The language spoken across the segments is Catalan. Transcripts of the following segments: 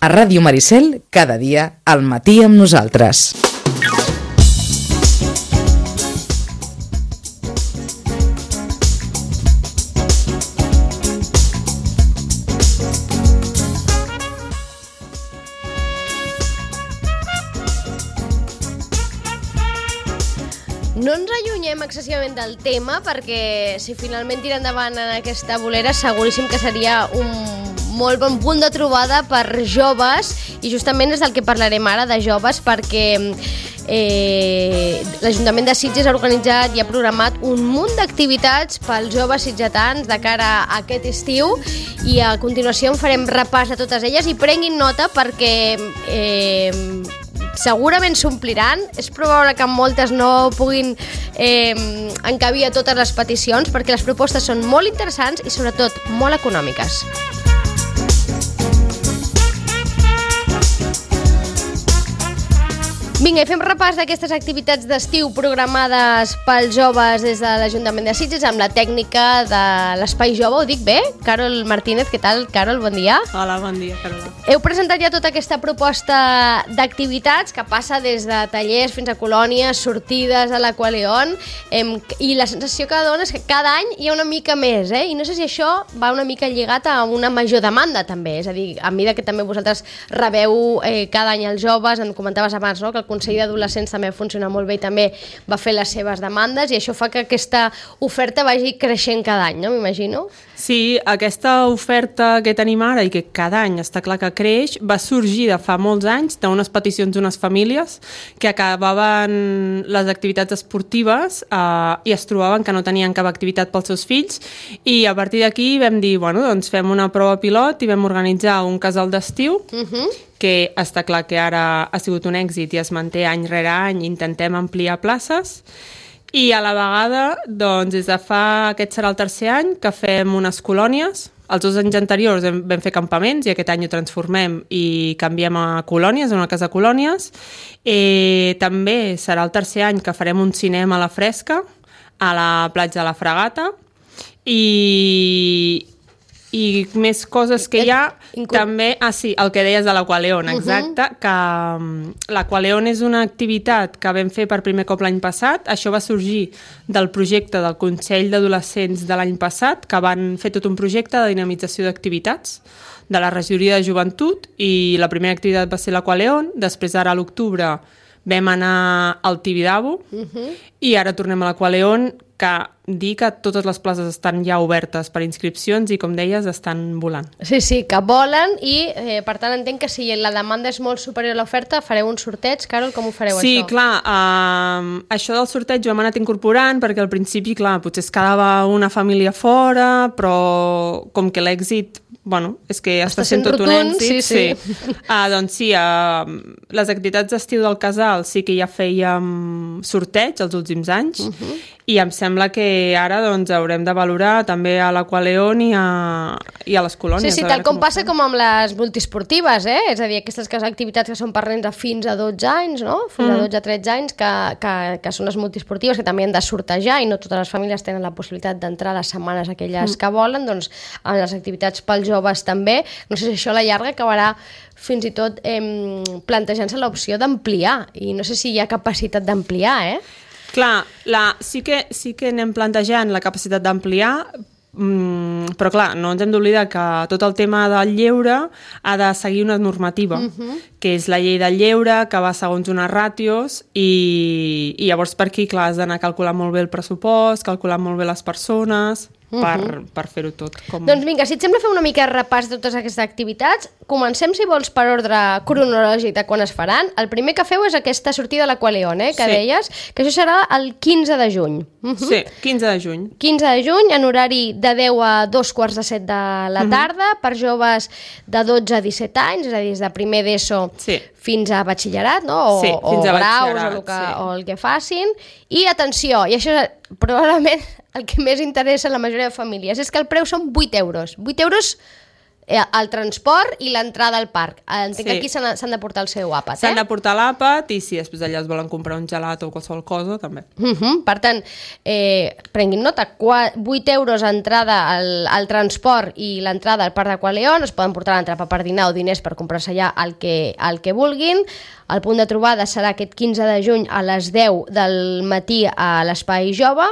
A Ràdio Maricel, cada dia, al matí amb nosaltres. No ens allunyem excessivament del tema perquè si finalment tira endavant en aquesta bolera seguríssim que seria un molt bon punt de trobada per joves i justament és del que parlarem ara, de joves, perquè l'Ajuntament de Sitges ha organitzat i ha programat un munt d'activitats pels joves sitgetans de cara a aquest estiu i a continuació en farem repàs de totes elles i prenguin nota perquè segurament s'ompliran, és probable que moltes no puguin encabir a totes les peticions perquè les propostes són molt interessants i sobretot molt econòmiques. Vinga, i fem repàs d'aquestes activitats d'estiu programades pels joves des de l'Ajuntament de Sitges amb la tècnica de l'Espai Jove, ho dic bé? Carol Martínez, què tal? Carol, bon dia. Hola, bon dia, Carola. Heu presentat ja tota aquesta proposta d'activitats que passa des de tallers fins a colònies, sortides a l'Aqualeon i la sensació que dona és que cada any hi ha una mica més, i no sé si això va una mica lligat a una major demanda també, és a dir, a mesura que també vosaltres rebeu cada any els joves, em comentaves abans, no?, que el Consell d'Adolescents també funciona molt bé i també va fer les seves demandes i això fa que aquesta oferta vagi creixent cada any, no? M'imagino. Sí, aquesta oferta que tenim ara i que cada any està clar que creix va sorgir de fa molts anys d'unes peticions d'unes famílies que acabaven les activitats esportives i es trobaven que no tenien cap activitat pels seus fills i a partir d'aquí vam dir, bueno, doncs fem una prova pilot i vam organitzar un casal d'estiu que està clar que ara ha sigut un èxit i es manté any rere any, intentem ampliar places i a la vegada, doncs, des de aquest serà el tercer any que fem unes colònies. Els 2 anys anteriors vam fer campaments i aquest any ho transformem i canviem a colònies, a una casa de colònies. També serà el tercer any que farem un cinema a la fresca a la platja de la Fragata i més coses que hi ha també, el que deies de l'Aqualeon, exacte, que l'Aqualeon és una activitat que vam fer per primer cop l'any passat, això va sorgir del projecte del Consell d'Adolescents de l'any passat, que van fer tot un projecte de dinamització d'activitats de la regidoria de joventut i la primera activitat va ser l'Aqualeon, després ara a l'octubre vam anar al Tibidabo i ara tornem a l'Aqualeon, que dir que totes les places estan ja obertes per inscripcions i, com deies, estan volant. Sí, que volen i, per tant, entenc que si la demanda és molt superior a l'oferta, fareu un sorteig. Carol, com ho fareu, això? Sí, clar, això del sorteig ho hem anat incorporant perquè al principi, clar, potser es quedava una família fora, però com que l'èxit és que està sent tot un èxit. Sí. Doncs sí, les activitats d'estiu del casal sí que ja fèiem sorteig els últims anys i em sembla que ara haurem de valorar també a l'Aqualeon i a les colònies. Sí, tal com passa com amb les multiesportives, és a dir, aquestes activitats que són per nens de fins a 12 anys, no? Fins a 12-13 anys, que són les multiesportives, que també han de sortejar i no totes les famílies tenen la possibilitat d'entrar a les setmanes aquelles que volen, doncs en les activitats pels joves també. No sé si això a la llarga acabarà fins i tot plantejant-se l'opció d'ampliar i no sé si hi ha capacitat d'ampliar, Clar, sí que anem plantejant la capacitat d'ampliar, però clar, no ens hem d'oblidar que tot el tema del lleure ha de seguir una normativa, que és la llei del lleure, que va segons unes ràtios i llavors per aquí, clar, has d'anar calculant molt bé el pressupost, calculant molt bé les persones per fer-ho tot. Doncs vinga, si et sembla fer una mica repàs de totes aquestes activitats, comencem, si vols, per ordre cronològic de quan es faran. El primer que feu és aquesta sortida a l'Aqualeon, que deies, que això serà el 15 de juny. Sí, 15 de juny. 15 de juny, en horari de 10 a 2:45 de la tarda, per joves de 12 a 17 anys, és a dir, des de primer d'ESO fins a batxillerat, no? O graus, o el que facin. I atenció, i això és probablement el que més interessa a la majoria de famílies, és que el preu són 8 euros. 8 euros el transport i l'entrada al parc. Entenc que aquí s'han de portar el seu àpat, S'han de portar l'àpat i si després allà es volen comprar un gelat o qualsevol cosa, també. Per tant, prenguin nota, 8 euros entrada al transport i l'entrada al Parc d'Aqualeon, es poden portar l'entrada per dinar o diners per comprar-se allà el que vulguin. El punt de trobada serà aquest 15 de juny a les 10 del matí a l'Espai Jove,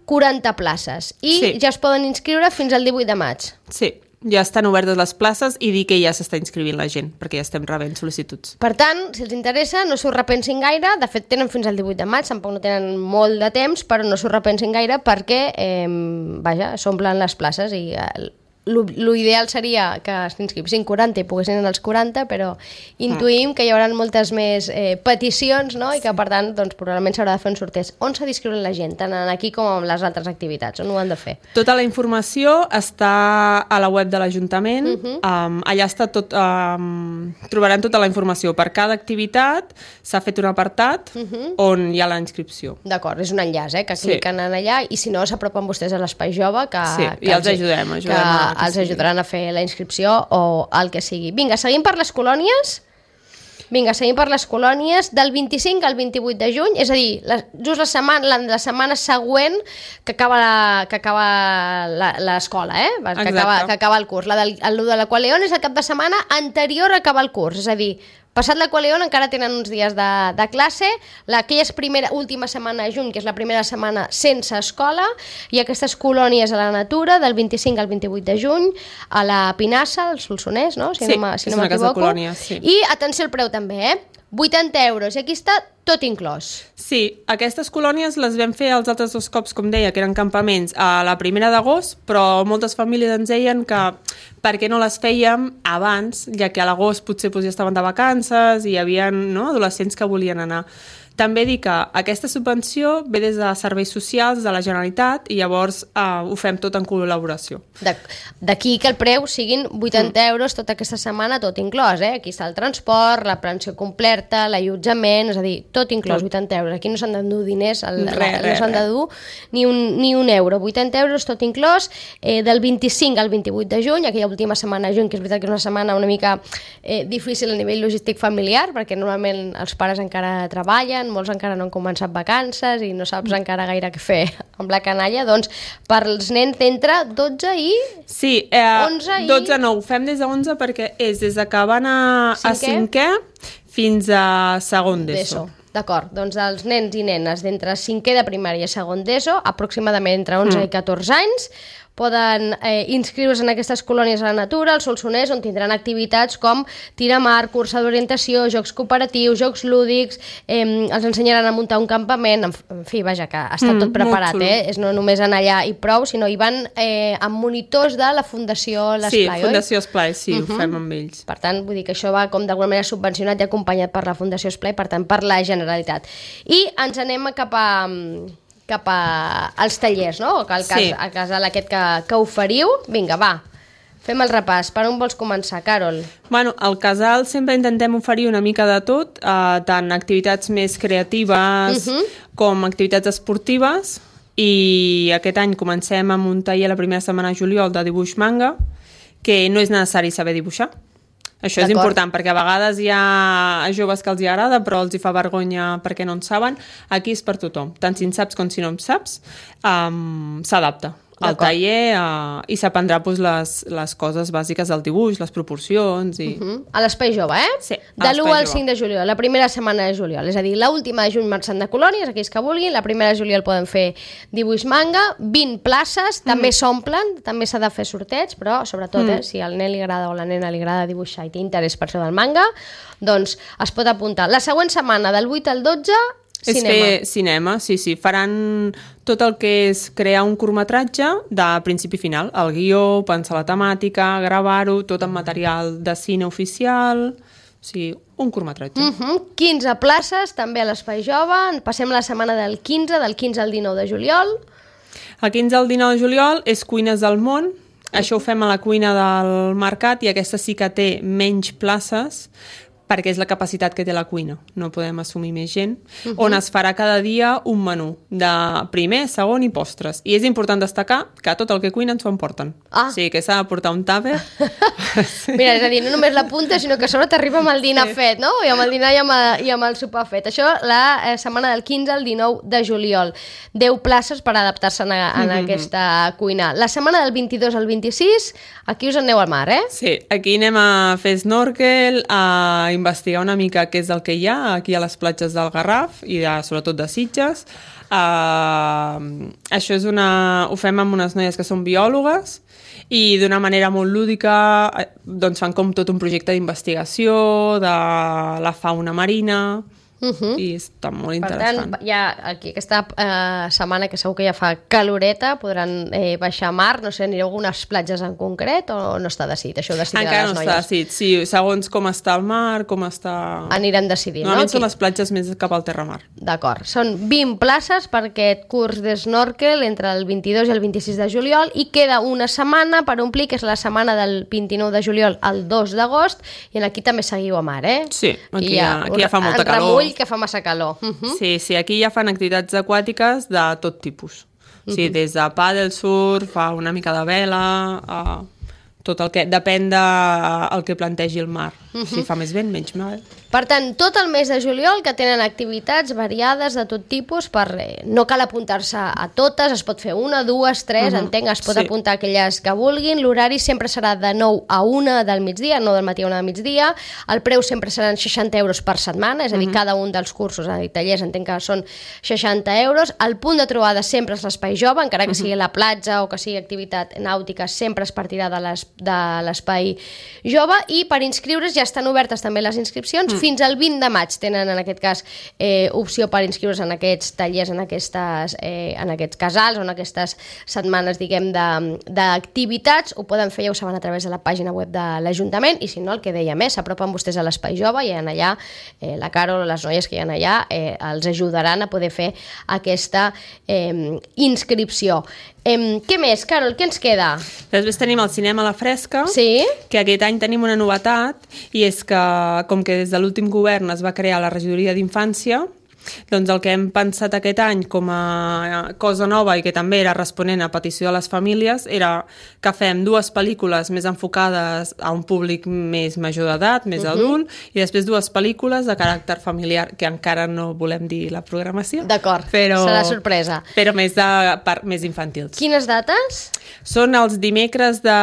40 places. I ja es poden inscriure fins al 18 de maig. Sí, ja estan obertes les places i dir que ja s'està inscrivint la gent, perquè ja estem rebent sol·licituds. Per tant, si els interessa, no s'ho repensin gaire. De fet, tenen fins al 18 de maig, tampoc no tenen molt de temps, però no s'ho repensin gaire perquè, s'omplen les places i l'ideal seria que s'inscrivissin 40 i poguessin anar als 40, però intuïm que hi haurà moltes més peticions, no? I que per tant doncs, probablement s'haurà de fer un sorteig. On s'ha d'inscriure la gent, tant aquí com en les altres activitats? On ho han de fer? Tota la informació està a la web de l'Ajuntament. Allà està tot, trobaran tota la informació. Per cada activitat s'ha fet un apartat on hi ha la inscripció. D'acord, és un enllaç, que cliquen en allà i si no s'apropen vostès a l'Espai Jove que i els ajudem els ajudaran a fer la inscripció o el que sigui. Vinga, seguim per les colònies. Del 25 al 28 de juny, és a dir, just la setmana següent que acaba l'escola, que acaba el curs. El de l'Aqualeon és el cap de setmana anterior a acabar el curs, és a dir, passat l'Aqualeon encara tenen uns dies de classe, aquella última setmana de juny, que és la primera setmana sense escola, i aquestes colònies a la natura, del 25 al 28 de juny, a la Pinassa, al Solsonès, no? Si no m'equivoco. Colònia, sí. I atenció al preu també, 80 euros, i aquí està tot inclòs. Sí, aquestes colònies les vam fer els altres 2 cops, com deia, que eren campaments a la 1 d'agost, però moltes famílies ens deien que per què no les fèiem abans, ja que a l'agost potser ja estaven de vacances i hi havia adolescents que volien anar. També dir que aquesta subvenció ve des de serveis socials de la Generalitat i llavors ho fem tot en col·laboració. D'aquí que el preu siguin 80 euros tota aquesta setmana, tot inclòs. Aquí està el transport, la pensió completa, l'allotjament, és a dir, tot inclòs, 80 euros. Aquí no s'han d'endur diners, no s'han d'endur ni un euro. 80 euros, tot inclòs, del 25 al 28 de juny, aquella última setmana de juny, que és veritat que és una setmana una mica difícil a nivell logístic familiar, perquè normalment els pares encara treballen, molts encara no han començat vacances i no saps encara gaire què fer amb la canalla, doncs per als nens d'entre 12 i 11 i... 12 no, ho fem des de 11 perquè és des de que van a 5è fins a segon d'ESO. D'acord, doncs els nens i nenes d'entre 5è de primària i segon d'ESO, aproximadament entre 11 i 14 anys, poden inscriure's en aquestes colònies a la natura, al Solsonès, on tindran activitats com tir a mar, cursa d'orientació, jocs cooperatius, jocs lúdics, els ensenyaran a muntar un campament, en fi, vaja, que està tot preparat, és no només anar allà i prou, sinó hi van amb monitors de la Fundació L'Esplai, oi? Sí, Fundació Esplai, sí, ho fem amb ells. Per tant, vull dir que això va com d'alguna manera subvencionat i acompanyat per la Fundació Esplai, per tant, per la Generalitat. I ens anem cap als tallers, no? Al casal aquest que oferiu. Vinga, va, fem el repàs. Per on vols començar, Carol? Bueno, al casal sempre intentem oferir una mica de tot, tant activitats més creatives com activitats esportives, i aquest any comencem amb un taller la primera setmana de juliol de dibuix manga, que no és necessari saber dibuixar. Això és important, perquè a vegades hi ha joves que els hi agrada, però els hi fa vergonya perquè no en saben. Aquí és per tothom. Tant si en saps com si no en saps, s'adapta al taller i s'aprendrà les coses bàsiques del dibuix, les proporcions... A l'Espai Jove, Sí, de l'1 al 5 de juliol, la primera setmana de juliol. És a dir, l'última de juny marxant de colònies, aquells que vulguin, la primera de juliol poden fer dibuix manga, 20 places, també s'omplen, també s'ha de fer sorteig, però sobretot, si al nen li agrada o la nena li agrada dibuixar i té interès per això del manga, doncs es pot apuntar. La següent setmana, del 8 al 12... És fer cinema, sí. Faran tot el que és crear un curtmetratge de principi a final. El guió, pensar la temàtica, gravar-ho, tot en material de cine oficial... O sigui, un curtmetratge. 15 places, també a l'Espai Jove. Passem la setmana del 15 al 19 de juliol. El 15 al 19 de juliol és Cuines del Món. Això ho fem a la cuina del mercat i aquesta sí que té menys places, perquè és la capacitat que té la cuina, no podem assumir més gent, on es farà cada dia un menú de primer, segon i postres. I és important destacar que tot el que cuinen s'ho emporten. O sigui que s'ha de portar un tàper. Mira, és a dir, no només la punta, sinó que a sobre t'arriba amb el dinar fet, no? I amb el dinar i amb el sopar fet. Això la setmana del 15 al 19 de juliol. 10 places per adaptar-se en aquesta cuina. La setmana del 22 al 26, aquí us aneu al mar, eh? Sí, aquí anem a fer snorkel, a investigar una mica què és el que hi ha aquí a les platges del Garraf i sobretot de Sitges. Això ho fem amb unes noies que són biòlogues i d'una manera molt lúdica doncs fan com tot un projecte d'investigació de la fauna marina i està molt interessant. Per tant, ja aquí aquesta setmana que segur que ja fa caloreta, podran baixar a mar, no sé, anireu a algunes platges en concret o no està decidit? Això ho decidiran les noies. Encara no està decidit, sí, segons com està el mar, com està... Anirem decidint, no? Normalment són les platges més cap al terramar. D'acord, són 20 places per aquest curs de snorkel entre el 22 i el 26 de juliol i queda una setmana per omplir, que és la setmana del 29 de juliol al 2 d'agost, i aquí també seguiu a mar, eh? Sí, aquí ja fa molta calor. Que fa massa calor. Sí, aquí ja fan activitats aquàtiques de tot tipus. Sí, des de pàdel, surf, a una mica de vela, tot el que... Depèn del que plantegi el mar. Si fa més vent, menys mal. Per tant, tot el mes de juliol que tenen activitats variades de tot tipus, no cal apuntar-se a totes, es pot fer una, dues, tres, entenc, es pot apuntar aquelles que vulguin. L'horari sempre serà de 9 a 1 del migdia, no del matí a 1 del migdia. El preu sempre seran 60 euros per setmana, és a dir, cada un dels cursos, i tallers, entenc que són 60 euros. El punt de trobada sempre és l'espai jove, encara que sigui la platja o que sigui activitat nàutica, sempre es partirà de l'espai jove, i per inscriure's ja estan obertes també les inscripcions. Fins al 20 de maig tenen, en aquest cas, opció per inscriure's en aquests tallers, en aquests casals o en aquestes setmanes, diguem, d'activitats. Ho poden fer, ja ho saben, a través de la pàgina web de l'Ajuntament, i si no, el que dèiem, s'apropen vostès a l'Espai Jove i allà, la Carol o les noies que hi ha allà els ajudaran a poder fer aquesta inscripció. Què més, Carol? Què ens queda? Després tenim el cinema a la fresca, que aquest any tenim una novetat, i és que, com que des de l'últim govern es va crear la regidoria d'infància, doncs el que hem pensat aquest any com a cosa nova i que també era responent a petició de les famílies era que fem 2 pel·lícules més enfocades a un públic més major d'edat, més adult, i després 2 pel·lícules de caràcter familiar, que encara no volem dir la programació. D'acord, serà sorpresa. Però més infantils. Quines dates? Són els dimecres de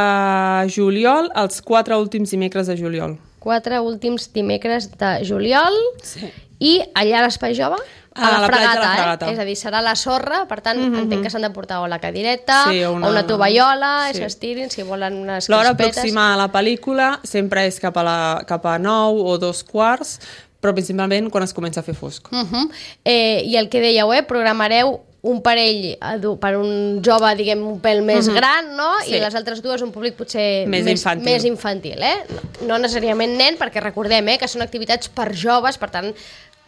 juliol, els 4 últims dimecres de juliol. 4 últims dimecres de juliol. Sí. I allà a l'Espai Jove? A la fregata. És a dir, serà la sorra, per tant, entenc que s'han de portar o la cadireta, o una tovallola, s'estirin, si volen unes crispetes. L'hora aproximada a la pel·lícula sempre és cap a 9 o 2:15, però principalment quan es comença a fer fosc. I el que dèieu, programareu un parell per un jove, diguem, un pèl més gran, no? I les altres dues un públic potser més infantil, No necessàriament nen, perquè recordem que són activitats per joves, per tant,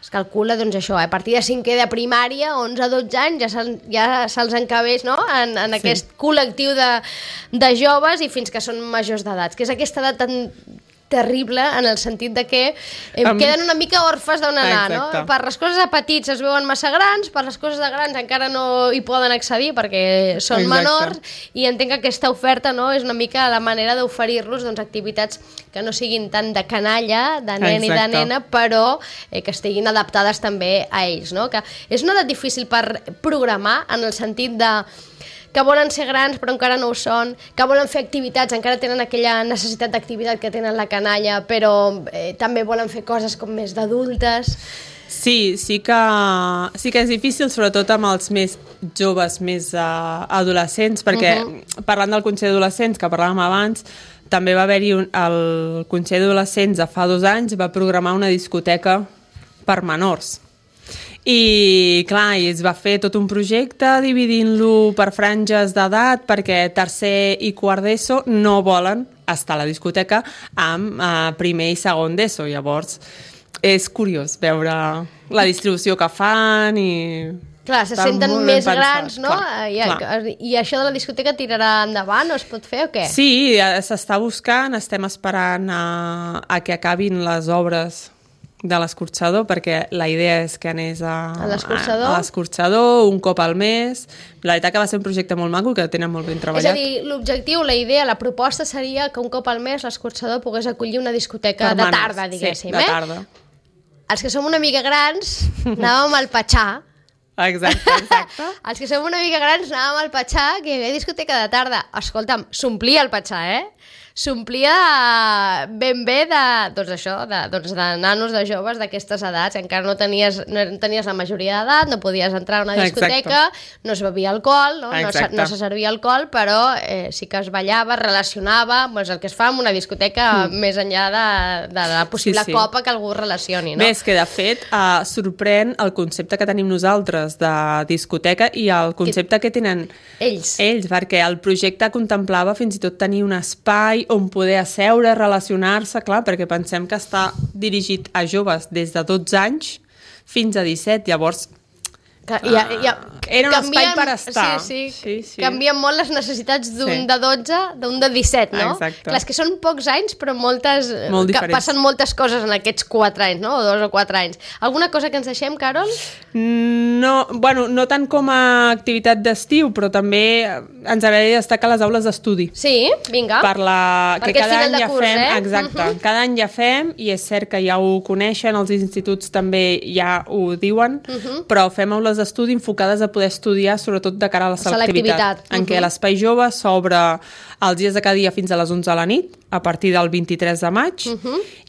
es calcula, doncs això, a partir de 5è de primària, 11-12 anys, ja se'ls encabeix, no?, en aquest col·lectiu de joves i fins que són majors d'edat, que és aquesta edat tan terrible en el sentit de que queden una mica orfes d'on anar, no? Per les coses de petits es veuen massa grans, per les coses de grans encara no hi poden accedir perquè són menors, i entenc que aquesta oferta, no, és una mica la manera d'oferir-los activitats que no siguin tant de canalla, de nen i de nena, però que estiguin adaptades també a ells, no? Que és una edat difícil per programar, en el sentit de que volen ser grans però encara no ho són, que volen fer activitats, encara tenen aquella necessitat d'activitat que tenen la canalla, però també volen fer coses com més d'adultes. Sí que és difícil, sobretot amb els més joves, més adolescents, perquè parlant del Consell d'Adolescents, que parlàvem abans, també va haver-hi el Consell d'Adolescents fa 2 anys, va programar una discoteca per menors. I clar, es va fer tot un projecte dividint-lo per franges d'edat perquè tercer i quart d'ESO no volen estar a la discoteca amb primer i segon d'ESO. Llavors és curiós veure la distribució que fan i Clar, se Està senten molt ben més pensat, grans, no? clar. I això de la discoteca tirarà endavant o es pot fer o què? Sí, s'està buscant, estem esperant a que acabin les obres de l'escorxador, perquè la idea és que anés a l'escorxador un cop al mes. La veritat que va ser un projecte molt maco, que tenen molt ben treballat. És a dir, l'objectiu, la idea, la proposta seria que un cop al mes l'escorxador pogués acollir una discoteca Permanent, de tarda, diguéssim. Sí, de tarda. Els que som una mica grans anàvem al Patxà. Exacte. Els que som una mica grans anàvem al Patxà, que hi havia discoteca de tarda. Escolta'm, s'omplia el Patxà, s'omplia ben bé de nanos, de joves d'aquestes edats. Encara no tenies la majoria d'edat, no podies entrar a una discoteca, no es bevia alcohol, no se servia alcohol, però sí que es ballava, es relacionava, doncs el que es fa en una discoteca més enllà de la possible copa que algú relacioni. No? Bé, és que de fet sorprèn el concepte que tenim nosaltres de discoteca i el concepte que tenen ells, perquè el projecte contemplava fins i tot tenir un espai on poder asseure, relacionar-se, clar, perquè pensem que està dirigit a joves des de 12 anys fins a 17, llavors era un espai per estar. Sí. Canvien molt les necessitats d'un de 12, d'un de 17, no? Exacte. Clar, és que són pocs anys, però molt passen moltes coses en aquests 4 anys, no? O 2 o 4 anys. Alguna cosa que ens deixem, Carol? No tant com a activitat d'estiu, però també ens agradaria destacar les aules d'estudi. Sí, vinga. Que cada any ja fem, exacte, cada any ja fem, i és cert que ja ho coneixen, els instituts també ja ho diuen, però fem aules d'estudi enfocades a poder estudiar sobretot de cara a la selectivitat. En què l'espai jove s'obre els dies de cada dia fins a les 11 de la nit, a partir del 23 de maig,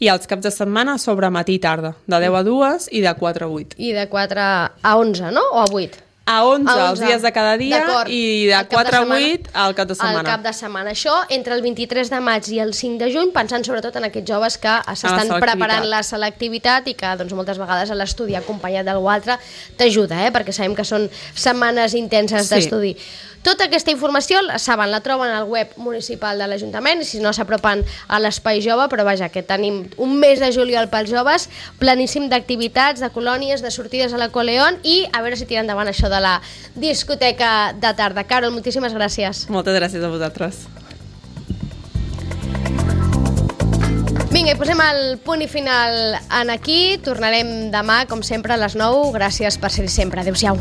i els caps de setmana s'obre matí i tarda, de 10 a 2 i de 4 a 8. I de 4 a 11, no? O a 8? A 11 els dies de cada dia i de 4 a 8 al cap de setmana. Al cap de setmana. Això entre el 23 de maig i el 5 de juny, pensant sobretot en aquests joves que s'estan preparant la selectivitat i que doncs, moltes vegades l'estudi acompanyat d'algú altre t'ajuda, perquè sabem que són setmanes intenses d'estudi. Tota aquesta informació, saben, la troben al web municipal de l'Ajuntament, i si no s'apropen a l'Espai Jove, però vaja, que tenim un mes de juliol pels joves, planíssim d'activitats, de colònies, de sortides a l'Aqualeón, i a veure si tira endavant això de la discoteca de tarda. Carol, moltíssimes gràcies. Moltes gràcies a vosaltres. Vinga, i posem el punt i final en aquí. Tornarem demà, com sempre, a les 9. Gràcies per ser-hi sempre. Adéu-siau.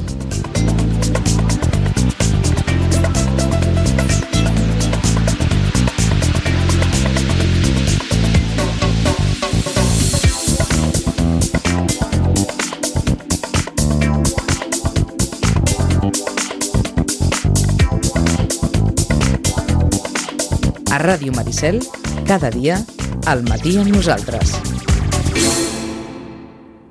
A Ràdio Maricel, cada dia, al matí amb nosaltres.